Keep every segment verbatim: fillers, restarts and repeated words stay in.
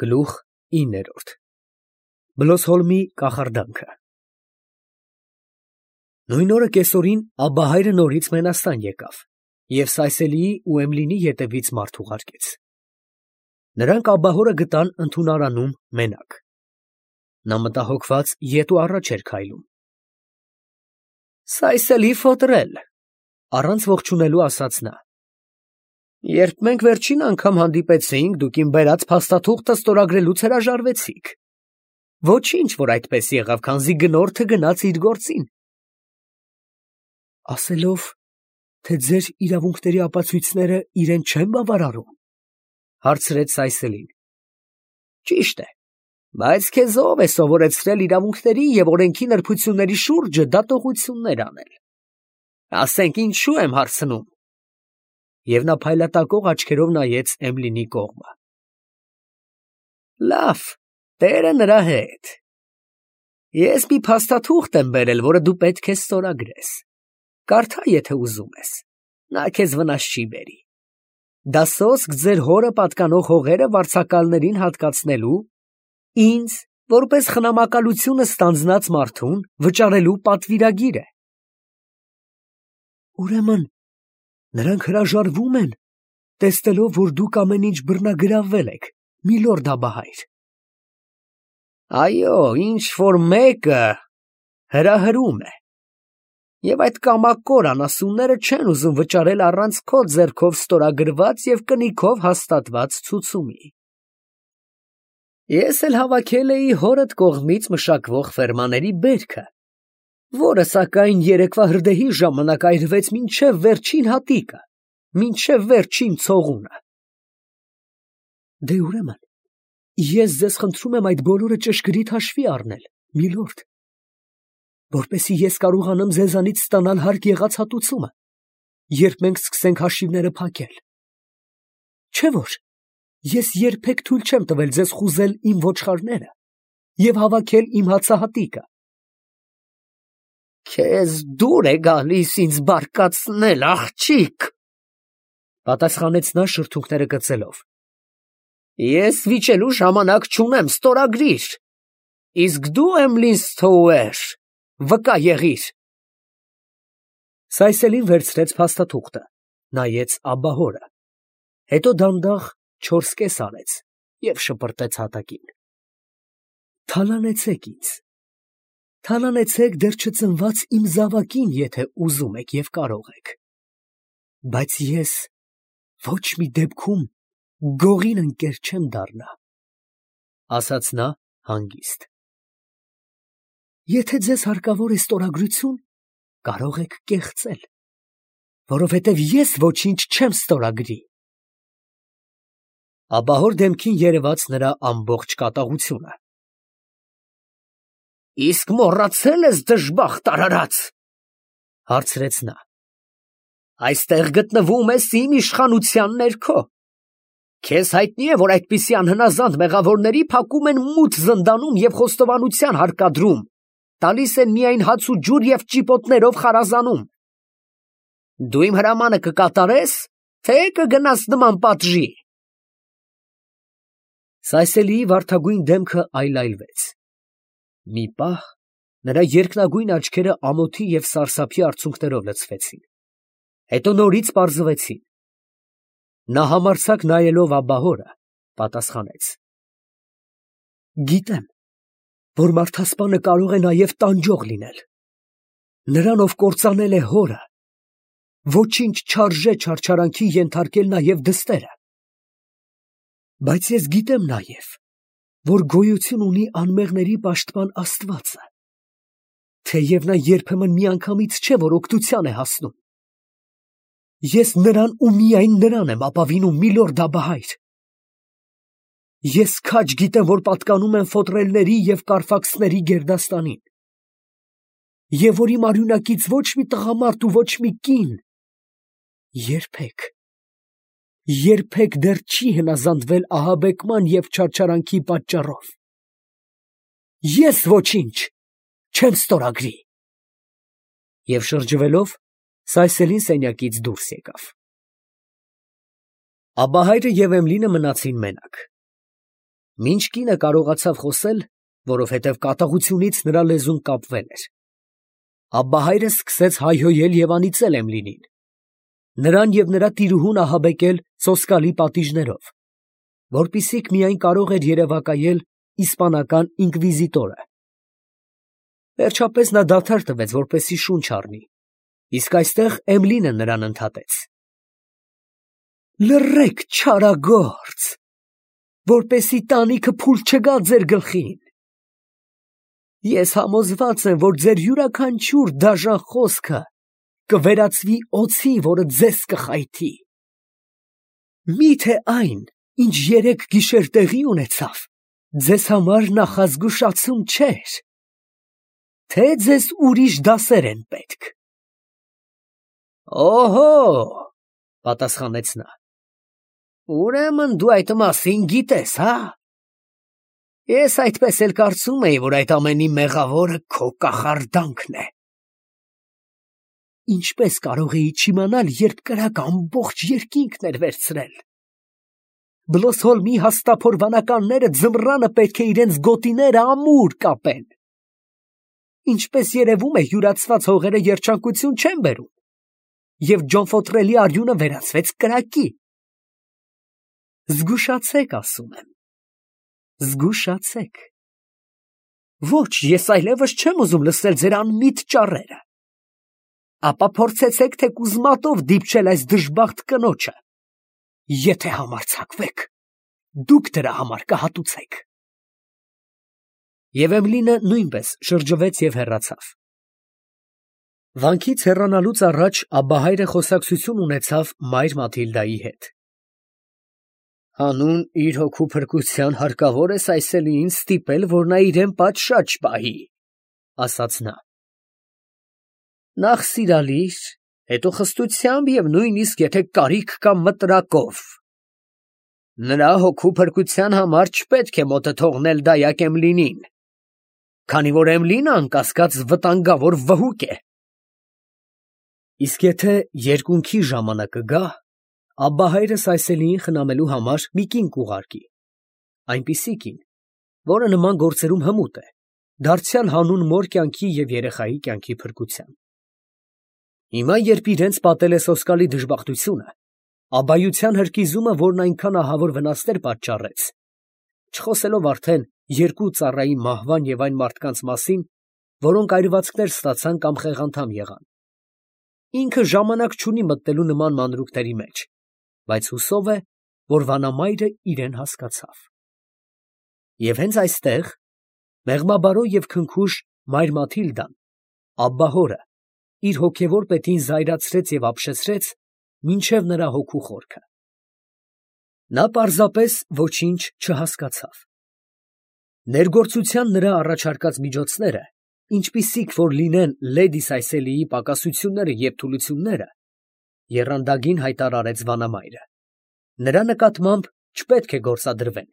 Գլուխ իններորդ Բլոսհոլմի կախարդանքը Նույն օրը կեսօրին Աբբահայրը նորից Մենաստան եկավ և Սայսելիի ու Էմլինի ետևից մարդ ուղարկեց. նրանք Աբբահորը գտան ընդունարանում մենակ. նա մտահոգված ետ ու առաջ էր քայլում. Սայսելի ֆոտրել, առանց ողջունելու ասաց նա. երբ մենք վերջին անգամ հանդիպեցինք, դուք իմ բերած փաստաթուղթը ստորագրելուց հրաժարվեցիք. Ոչինչ, որ այդպես եղավ, քանզի գնորդը գնաց իր գործին. ասելով, թե ձեր իրավունքների ապացույցները իրեն չեն բավարարում, հարցրեց Սայսելին. ճիշտ է, բայց քեզ ով է սովորեցրել իրավունքների և օրենքի նրբությունների շուրջը դատողություններ անել, ասենք ինչու եմ հարցնում, և նա փայլատակող աչքերով նայեց Էմլինի կողմը. լավ, տերը նրա հետ, ես մի փաստաթուղթ եմ բերել, որը դու պետք է ստորագրես, կարդա, եթե ուզում ես, նա քեզ վնաս չի բերի, դա սոսկ ձեր հորը պատկանող հողերը վարձակալներին հատկացնելու, ինձ, որպես խնամակալությունը ստանձնած մարդուն, վճարելու պատվիրագիր է. ուրեմն, նրանք հրաժարվում են, տեսնելով, որ դուք ամեն ինչ բռնագրավվել եք, միլորդ Աբբահայր. այո, ինչ-որ մեկը հրահրում է, և այդ կամակոր անասունները չեն ուզում վճարել առանց քո ձեռքով ստորագրված և կնիքով հաստատված ցուցումի. ես էլ հավաքել էի հորդ կողմից մշակվող ֆերմաների բերքը, որը, սակայն, երեկվա հրդեհի ժամանակ այրվեց մինչև վերջին հատիկը, մինչև վերջին ցողունը. դե ուրեմն, ես ձեզ խնդրում եմ այդ բոլորը ճշգրիտ հաշվի առնել, միլորդ, որպեսզի ես կարողանամ ձեզանից ստանալ հարկ եղած հատուցումը, երբ մենք սկսենք հաշիվները փակել, չէ՞ որ ես երբեք թույլ չեմ տվել ձեզ խուզել իմ ոչխարները և հավաքել իմ հացահատիկը. քեզ դուր է գալիս ինձ բարկացնել, աղջիկ, պատասխանեց նա շրթունքները կծելով. ես վիճելու ժամանակ չունեմ, ստորագրիր, իսկ դու, Էմլին Սթոուեր, վկա եղիր. Սայսելին վերցրեց փաստաթուղթը, նայեց Աբբահորը, հետո դանդաղ չորս կես արեց և շպրտեց հատակին. թալանեցեք ինձ, թալանեցեք դեռ չծնված իմ զավակին, եթե ուզում եք և կարող եք, բայց ես ոչ մի դեպքում գողին ընկեր չեմ դառնա, ասաց նա հանգիստ. եթե ձեզ հարկավոր է ստորագրություն, կարող եք կեղծել, որովհետև ես ոչինչ չեմ ստորագրի. Աբբահոր դեմքին երևաց նրա ամբողջ կատաղությունը. իսկ մոռացել ես, դժբախտ արարած, հարցրեց նա. այստեղ գտնվում ես իմ իշխանության ներքո, քեզ հայտնի է, որ այդպիսի անհնազանդ մեղավորների փակում են մութ զնդանում և խոստովանության հարկադրում, տալիս են միայն հաց ու ջուր և ճիպոտներով խարազանում, դու իմ հրամանը կկատարես, թե կգնաս նման պատժի. Սայսելիի վարդագույն դեմքը այլայլվեց, մի պահ նրա երկնագույն աչքերը ամոթի և սարսափի արցունքներով լցվեցին, հետո նորից պարզվեցին, նա համարձակ նայելով Աբբահորը, պատասխանեց. գիտեմ, որ մարդասպանը կարող է նաև տանջող լինել, նրան, ով կործանել է հորը, ոչինչ չարժե չարչարանքի ենթարկել նաև դստերը, բայց ես գիտեմ նաև, որ գոյություն ունի անմեղների պաշտպան Աստվածը, թեև նա երբեմն միանգամից չէ, որ օգնության է հասնում, ես նրան ու միայն նրան եմ ապավինում, միլորդ Աբբահայր, ես քաջ գիտեմ, որ պատկանում եմ ֆոտրելների և կարֆաքսների գերդաստանին, և որ իմ արյունակից ոչ մի տղամարդ ու ոչ մի կին երբեք, երբեք դեռ չի հնազանդվել ահաբեկման և չարչարանքի պատճառով, ես ոչինչ չեմ ստորագրի, և շրջվելով Սայսելին սենյակից դուրս եկավ. Աբբահայրը և Էմլինը մնացին մենակ, Մինչ կինը կարողացավ խոսել, որովհետև կատաղությունից նրա լեզուն կապվել էր, Աբբահայրը սկսեց հայհոյել և անիծել Էմլինին, նրան և նրա տիրուհուն ահաբեկել սոսկալի պատիժներով, որպեսզի միայն կարող էր երևակայել իսպանական ինկվիզիտորը։ Վերջապես նա դադար տվեց, որպեսզի շունչ առնի, իսկ այստեղ Էմլինը նրան ընդհատեց. «Լռեք, չարագործ, որպեսզի տանիքը փուլ չգա ձեր գլխին։ Ես համոզված եմ, որ ձեր յուրաքանչյուր դաժան խոսքը կվերածվի օձի, որը ձեզ կխայթի։ Մի՞թե այն, ինչ երեկ գիշեր տեղի ունեցավ, ձեզ համար նախազգուշացում չէր, թե ձեզ ուրիշ դասեր են պետք»։ «Օհո՛, ֊ պատասխանեց նա, ֊ ուրեմն դու այդ մասին գիտես, հա՞։ Ես այդպես էլ կարծում էի, որ այդ ամենի մեղավորը քո կախարդանքն է։ Ինչպես կարող էի չիմանալ, երբ կրակը ամբողջ երկինքն էր վերցրել։ Բլոսհոլմի հաստափոր ձմռանը պետք է իրենց գոտիները ամուր կապեն։ Ինչպես երևում է, յուրացված հողերը երջանկություն չեն բերում, և Ջոնֆոթրելի արյունը վերածվեց կրակի։ Զգուշացեք, ասում եմ, զգուշացեք։ Ոչ, ես այլևս չեմ ուզում լսել ձեր անմիտ ճառերը։ Ապա փորձեցեք թեկուզ մատով դիպչել այս դժբախտ կնոջը։ Եթե համարձակվեք, դուք դրա համար կհատուցեք։ Եվ Էմլինը նույնպես շրջվեց և հեռացավ։ Վանքից հեռանալուց առաջ Աբբահայրը խոսակցություն ունեցավ մայր Մաթիլդայի հետ։ Հանուն իր հոգու փրկության հարկավոր է Սայսելիին ստիպել, որ նա իրեն պատշաճ պահի, ֊ ասաց նա։ Նախ սիրալիր, հետո խստությամբ և նույնիսկ եթե կարիք կա մտրակով։ Նրա հոգու փրկության համար չպետք է մոտը թողնել դայակ Էմլինին, քանի որ Էմլինը անկասկած վտանգավոր վհուկ է։ Իսկ եթե երկունքի ժամանակը գա, Աբբահայրը Սայսելիին խնամելու համար մի կին կուղարկի, այնպիսի կին, որը նման գործերում հմուտ է, դարձյալ հանուն մոր կյանքի և երեխայի կյանքի փրկության։ Հիմա, երբ իրենց պատել է սոսկալի դժբախտությունը, abbayության հրկիզումը, որն այնքան ահավոր վնասներ պատճառեց, չխոսելով արդեն երկու ծառայի մահվան և այն մարդկանց մասին, որոնք այրվածքներ ստացան կամ խեղանդամ եղան, ինքը ժամանակ չունի մտնելու նման մանրուքների մեջ, բայց հուսով է, որ վանամայրը իրեն հասկացավ։ Եվ հենց այստեղ մեղմաբարո և քնքուշ մայր Մաթիլդան Աբբահորը իր հոգևոր պետին զայրացրեց և ապշեցրեց մինչև նրա հոգու խորքը։ Նա պարզապես ոչինչ չհասկացավ։ Ներգործության նրա առաջարկած միջոցները, ինչպիսիք որ լինեն լեդի Սայսելիի պակասությունները և թուլությունները, եռանդագին հայտարարեց վանամայրը, նրա նկատմամբ չպետք է գործադրվեն։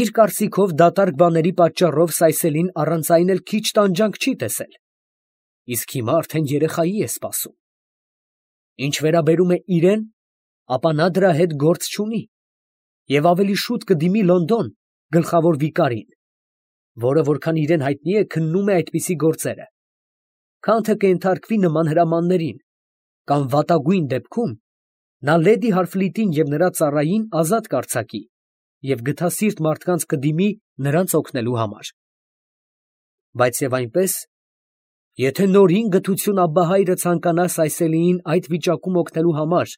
Իր կարծիքով դատարկ բաների պատճառով Սայսելին առանց այն էլ քիչ տանջանք չի տեսել, իսկ հիմա արդեն երեխայի է սպասում։ Ինչ վերաբերում է իրեն, ապա նա դրա հետ գործ չունի և ավելի շուտ կդիմի Լոնդոն գլխավոր վիկարին, որը, որքան իրեն հայտնի է, քննում է այդպիսի գործերը, քան թե կենթարկվի նման հրամաններին, կամ վատագույն դեպքում նա լեդի Հարֆլիտին և նրա ծառային ազատ կարձակի և գթասիրտ մարդկանց կդիմի նրանց օգնելու համար։ Բայց և այնպես, եթե նորին գթություն Աբբահայրը ցանկանա Սայսելիին այդ վիճակում օգնելու համար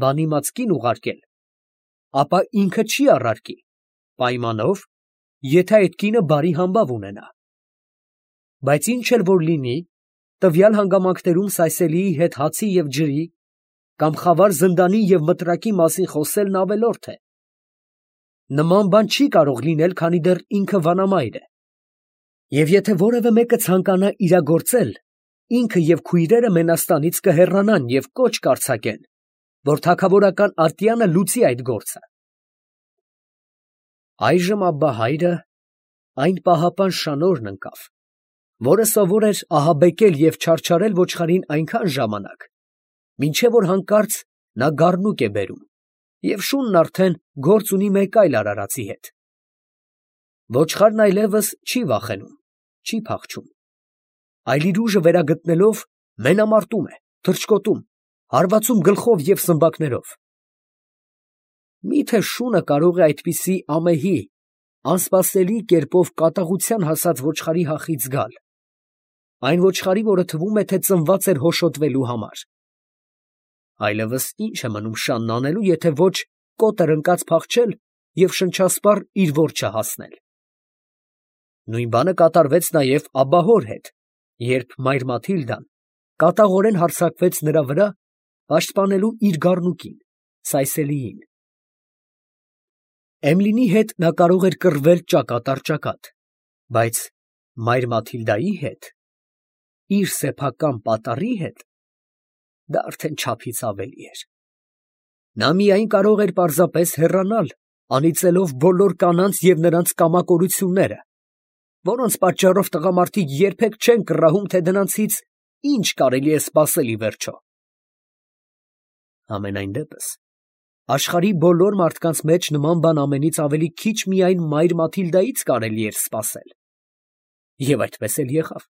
բանիմաց կին ուղարկել, ապա ինքը չի առարկի, պայմանով, եթե այդ կինը բարի համբավ ունենա։ Բայց ինչ էլ որ լինի, տվյալ հանգամանքներում Սայսելիի հետ հացի և ջրի կամ խավար զնդանի և մտրակի մասին խոսելն ավելորդ է։ Նման բան չի կարող լինել, քանի դեռ ինքը վանամայր է։ Եվ եթե որևէ մեկը ցանկանա իրագործել, ինքը և քույրերը Մենաստանից կհեռանան և կոչ կարձակեն, որ թագավորական ատյանը լուծի այդ գործը։ Այժմ Աբբահայրը այն պահապան շանորն ընկավ, որը սովոր էր ահաբեկել և չարչարել ոչխարին այնքան ժամանակ, մինչև որ հանկարծ նա գառնուկ է բերում, և շունն արդեն գործ ունի մեկ այլ արարածի հետ։ Ոչխարն այլևս չի վախենում, չի փախչում, այլ իր ուժը վերագտնելով մենամարտում է, թռչկոտում, հարվածում գլխով և սմբակներով։ Մի՞թե շունը կարող է այդպիսի ամեհի, անսպասելի կերպով կատաղության հասած ոչխարի հախից գալ, այն ոչխարի, որը թվում է, թե ծնված էր հոշոտվելու համար։ Այլևս ի՞նչ է մնում շանն անելու, եթե ոչ կոտր ընկած փախչել և շնչասպառ իր որջը հասնել։ Նույն բանը կատարվեց նաև աբահոր հետ, երբ մայր Մաթիլդան կատաղորեն հարձակվեց նրա վրա, պաշտպանելու իր գառնուկին, Սայսելիին։ Էմլինի հետ նա կարող էր կռվել ճակատ առ ճակատ, բայց մայր Մաթիլդայի հետ, իր սեփական պատառի հետ, դա արդեն չափից ավելի էր։ Նա միայն կարող էր պարզապես հեռանալ, անիծելով բոլոր կանանց և նրանց կամակորությունները, որոնց պատճառով տղամարդիկ երբեք չեն կռահում, թե դրանցից ինչ կարելի է սպասել ի վերջո։ Համենայն դեպս, աշխարհի բոլոր մարդկանց մեջ նման բան ամենից ավելի քիչ միայն մայր Մաթիլդայից կարելի էր սպասել։ Եվ այդպես էլ եղավ։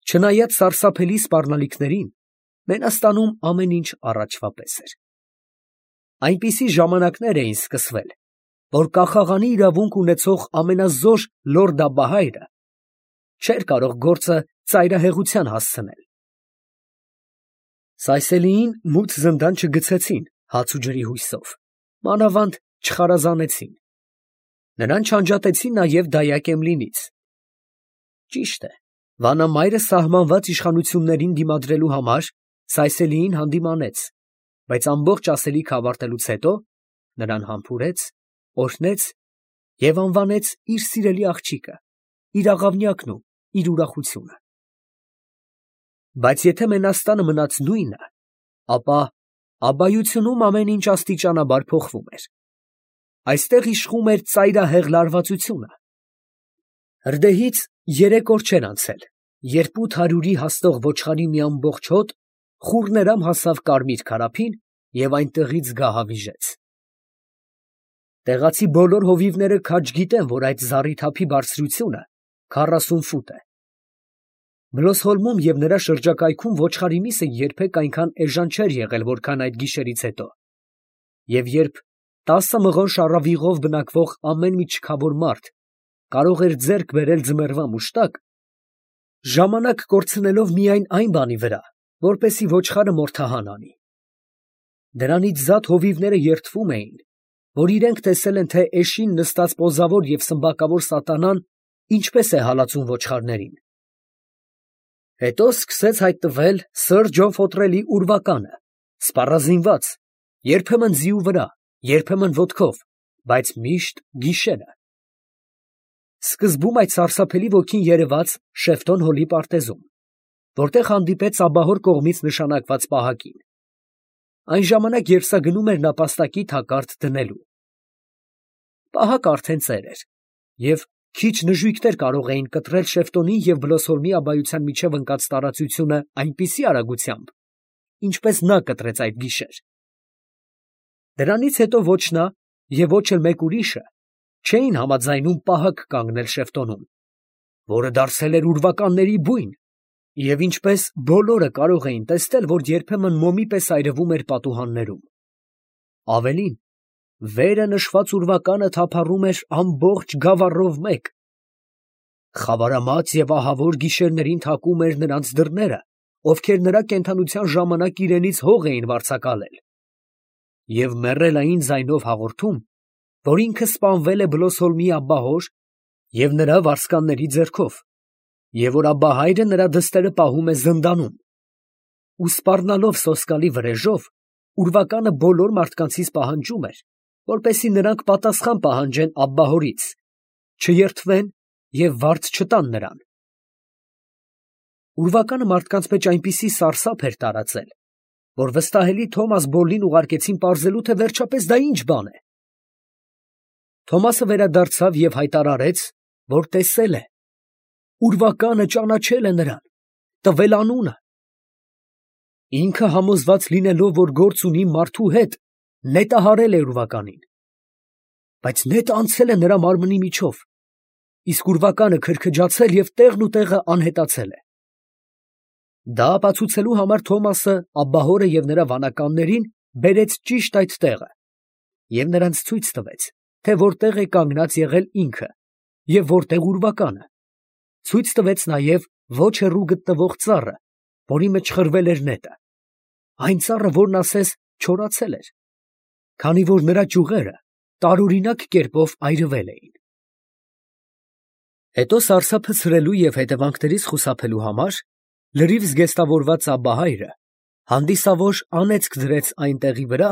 Չնայած սարսափելի սպառնալիքներին, մենաստանում ամեն ինչ առաջվա պես էր։ Այնպիսի ժամանակներ էին սկսվել, որ կախաղանի իրավունք ունեցող ամենազոր լորդաբահայրը չէր կարող գործը ծայրահեղության հասցնել։ Սայսելիին մութ զնդան չգցեցին հաց ու ջրի հույսով, մանավանդ չխարազանեցին։ Նրան չանջատեցին նաև դայակ Էմլինից։ Ճիշտ է, վանամայրը սահմանված իշխանություններին դիմադրելու համար Սայսելիին հանդիմանեց, բայց ամբողջ ասելիքը ավարտելուց հետո նրան համբուրեց, օրհնեց և անվանեց իր սիրելի աղջիկը, իր աղավնյակն ու իր ուրախությունը։ Բայց եթե մենաստանը մնաց նույնը, ապա աբայությունում ամեն ինչ աստիճանաբար փոխվում էր։ Այստեղ իշխում էր ծայրահեղ լարվածությունը։ Հրդեհից երեք օր չէր անցել, երբ ութ հարյուրի հասնող ոչխարի մի ամբողջ հոտ խուռներամ հասավ Կարմիր քարափին և այնտեղից գահավիժեց։ Տեղացի բոլոր հովիվները քաջ գիտեն, որ այդ զառիթափի բարձրությունը քառասուն ֆուտ է։ Բլոսհոլմում և նրա շրջակայքում ոչխարի միսը երբեք այնքան էժան չէր եղել, որքան այդ գիշերից հետո, և երբ տասը մղոն շառավիղով բնակվող ամեն մի չքավոր մարդ կարող էր ձեռք բերել ձմեռվա մուշտակ, ժամանակ կորցնելով միայն այն բանի վրա, որպեսզի ոչխարը մորթահան անի։ Դրանից զատ հովիվները երդվում էին, որ իրենք տեսել են, թե էշին նստած պոզավոր և սմբակավոր սատանան ինչպես է հալածում ոչխարներին։ Հետո սկսեց հայտնվել սըր Ջոֆոտրելի ուրվականը, սպառազինված, երբեմն ձիու վրա, երբեմն ոտքով, բայց միշտ գիշերը։ Սկզբում այդ սարսափելի ոգին երևաց Շեֆտոն հոլի պարտեզում, որտեղ հանդիպեց աբահոր կողմից նշանակված պահակին։ Այն ժամանակ, երբ սա գնում էր նապաստակի թակարդ դնելու։ Պահակը արդեն ծեր էր, և քիչ նժույգներ կարող էին կտրել Շեֆտոնի և Բլոսհոլմի աբայության միջև ընկած տարածությունը այնպիսի արագությամբ, ինչպես նա կտրեց այդ գիշեր։ Դրանից հետո ոչ նա և ոչ էլ մեկ ուրիշը չէին համաձայնում պահակ կանգնել Շեֆտոնում, որը դարձել էր ուրվականների բույն, և ինչպես բոլորը կարող էին տեսնել, որ երբեմն մոմի պես այրվում էր պատուհաններում։ Ավելին, վերը նշված ուրվականը թափառում էր ամբողջ գավառով մեկ։ Խավարամած և ահավոր գիշերներին թակում էր նրանց դռները, ովքեր նրա կենդանության ժամանակ իրենից հող էին վարձակալել, և մեռելային ձայնով հաղորդում, որ ինքը սպանվել է Բլոսհոլմի աբբահոր և նրա վարձկանների ձեռքով, և որ աբբահայրը նրա դստերը պահում է զնդանում, ու սպառնալով սոսկալի վրեժով, ուրվականը բոլոր մարդկանցից պահանջում էր, որպեսզի նրանք պատասխան պահանջեն աբբահորից, չերդվեն և վարձ չտան նրան։ Ուրվականը մարդկանց մեջ այնպիսի սարսափ էր տարածել, որ վստահելի Թոմաս Բոլլին ուղարկեցին պարզելու, թե վերջապես դա ինչ բան է։ Թոմասը վերադարձավ և հայտարարեց, որ տեսել է, ուրվականը ճանաչել է նրան, տվել անունը։ Ինքը համոզված լինելով, որ գործ ունի մարդու հետ, նետահարել է ուրվականին։ բայց նետը անցել է նրա մարմնի միջով, իսկ ուրվականը քրքջացել և տեղն ու տեղը անհետացել է։ Դա ապացուցելու համար Թոմասը աբբահորը և նրա վանականներին բերեց ճիշտ այդ տեղը և նրանց ցույց տվեց, թե որտեղ է կանգնած եղել ինքը և որտեղ ուրվականը, ցույց տվեց նաև ոչ հեռու գտնվող ծառը, որի մեջ խրվել էր նետը, այն ծառը, որն ասես չորացել էր, քանի որ նրա ճյուղերը տարօրինակ կերպով այրվել էին։ Հետո սարսափը ցրելու և հետևանքներից խուսափելու համար լրիվ զգեստավորված Աբբահայրը հանդիսավոր անեծք դրեց այն տեղի վրա,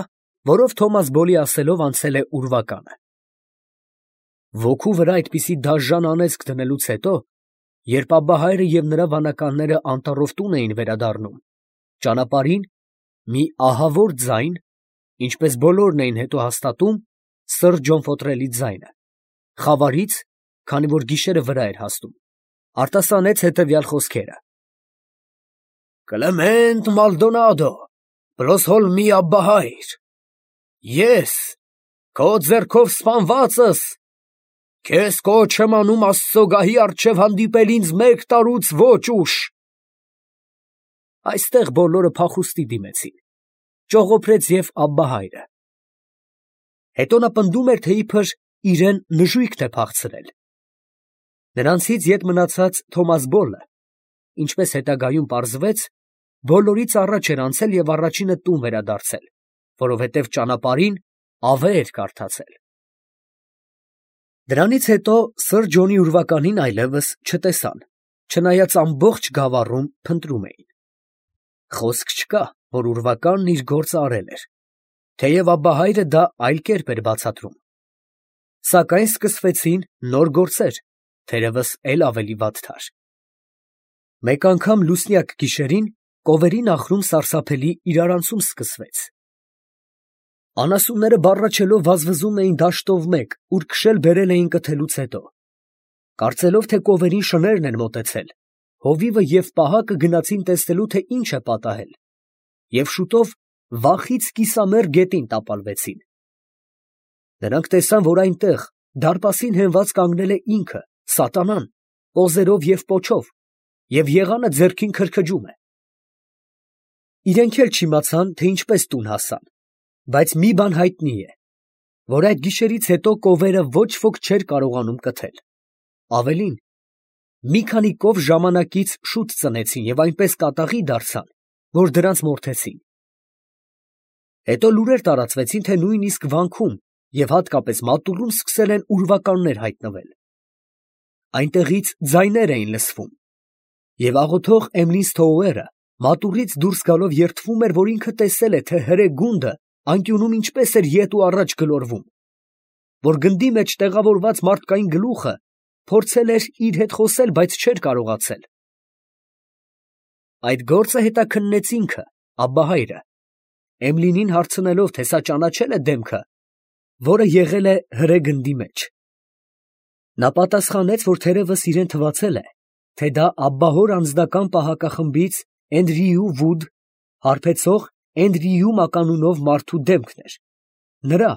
որով Թոմաս Բոլի ասելով անցել է ուրվականը։ Ոգու վրա այդպիսի դաժան անեծք դնելուց հետո, երբ Աբբահայրը և նրա վանականները անտառով տուն էին վերադառնում, ճանապարհին մի ահավոր ձայն, ինչպես բոլորն էին հետո հաստատում, սրճոնֆոթրելի ձայնը, խավարից, քանի որ գիշերը վրա էր հասնում, արտասանեց հետևյալ խոսքերը. «Կլեմենտ Մալդոնադո, պրոսհոլ մի Աբբահայր, ես, քո ձեռքով սպանվածս, քեզ կոչ եմ անում Աստծո գահի առջև հանդիպել ինձ մեկ տարուց ոչ ուշ»։ Այստեղ բոլորը փախուստի դիմեցին, ճողոպրեց և Աբբահայրը։ Հետո նա պնդում էր, թե իբր իրան նժույգն է փախցրել։ Նրանցից ետ մնացած Թոմաս Բոլը, ինչպես հետագայում պարզվեց, բոլորից առաջ էր անցել և առաջինը տուն վերադարձել, որովհետև ճանապարհին ավե էր կարդացել։ Դրանից հետո սըր Ջոնի ուրվականին այլևս չտեսան, չնայած ամբողջ գավառում փնտրում էին։ Խոսք չկա, որ ուրվականն իր գործը արել էր, թեև Աբբահայրը դա այլ կերպ էր բացատրում։ Սակայն սկսվեցին նոր գործեր, թերևս էլ ավելի վատթար։ Մեկ անգամ լուսնյակ գիշերին կովերի նախրում սարսափելի իրարանցում սկսվեց։ Անասունները բառաչելով վազվզում էին դաշտով մեկ, ուր քշել բերել էին կթելուց հետո։ Կարծելով, թե կովերին շներն են մոտեցել, հովիվը և պահակը գնացին տեսնելու, թե ինչ է պատահել, և շուտով վախից կիսամեռ գետին տապալվեցին։ Նրանք տեսան, որ այնտեղ դարպասին հենված կանգնել է ինքը, սատանան, պոզերով և պոչով, և եղանը ձեռքին քրքջում է։ Իրենք էլ չիմացան, թե ինչպես տուն հասան, բայց մի բան հայտնի է, որ այդ գիշերից հետո կովերը ոչ ոք չէր կարողանում կթել։ Ավելին, մի քանի կով ժամանակից շուտ ծնեցին և այնպես կատաղի դարձան, որ դրանց մորթեցին։ Հետո լուրեր տարածվեցին, թե նույնիսկ վանքում և հատկապես մատուռում սկսել են ուրվականներ հայտնվել։ Այնտեղից ձայներ էին լսվում, և աղոթող Էմլինսթոուերը մատուռից դուրս գալով երդվում էր, որ ինքը տեսել է, թե հրե գունդը անկյունում ինչպես էր ետ ու առաջ գլորվում, որ գնդի մեջ տեղավորված մարդկային գլուխը փորձել էր իր հետ խոսել, բայց չէր կարողացել։ Այդ գործը հետաքննեց ինքը, Աբբահայրը, Էմլինին հարցնելով, թե սա ճանաչե՞լ է դեմքը, որը եղել է հրե գնդի մեջ։ Նա պատասխանեց, որ թերևս իրեն թվացել է, թե դա աբբահոր անձնական պահակախմբից Էնդրյու Վուդ, հարբեցող Էնդրյու մականունով մարդու դեմքն էր, նրա,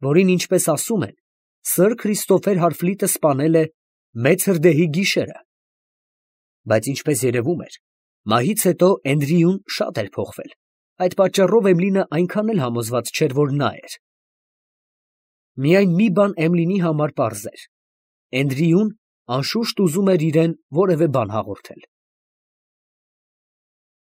որին, ինչպես ասում են, սըր Քրիստոֆեր Հարֆլիտը սպանել է մեծ հրդեհի գիշերը։ Բայց ինչպես երևում էր, մահից հետո Էնդրյուն շատ էր փոխվել, այդ պատճառով Էմլինը այնքան էլ համոզված չէր, որ նա էր։ Միայն մի բան Էմլինի համար պարզ էր. Էնդրյուն անշուշտ ուզում էր իրան որևէ բան հաղորդել։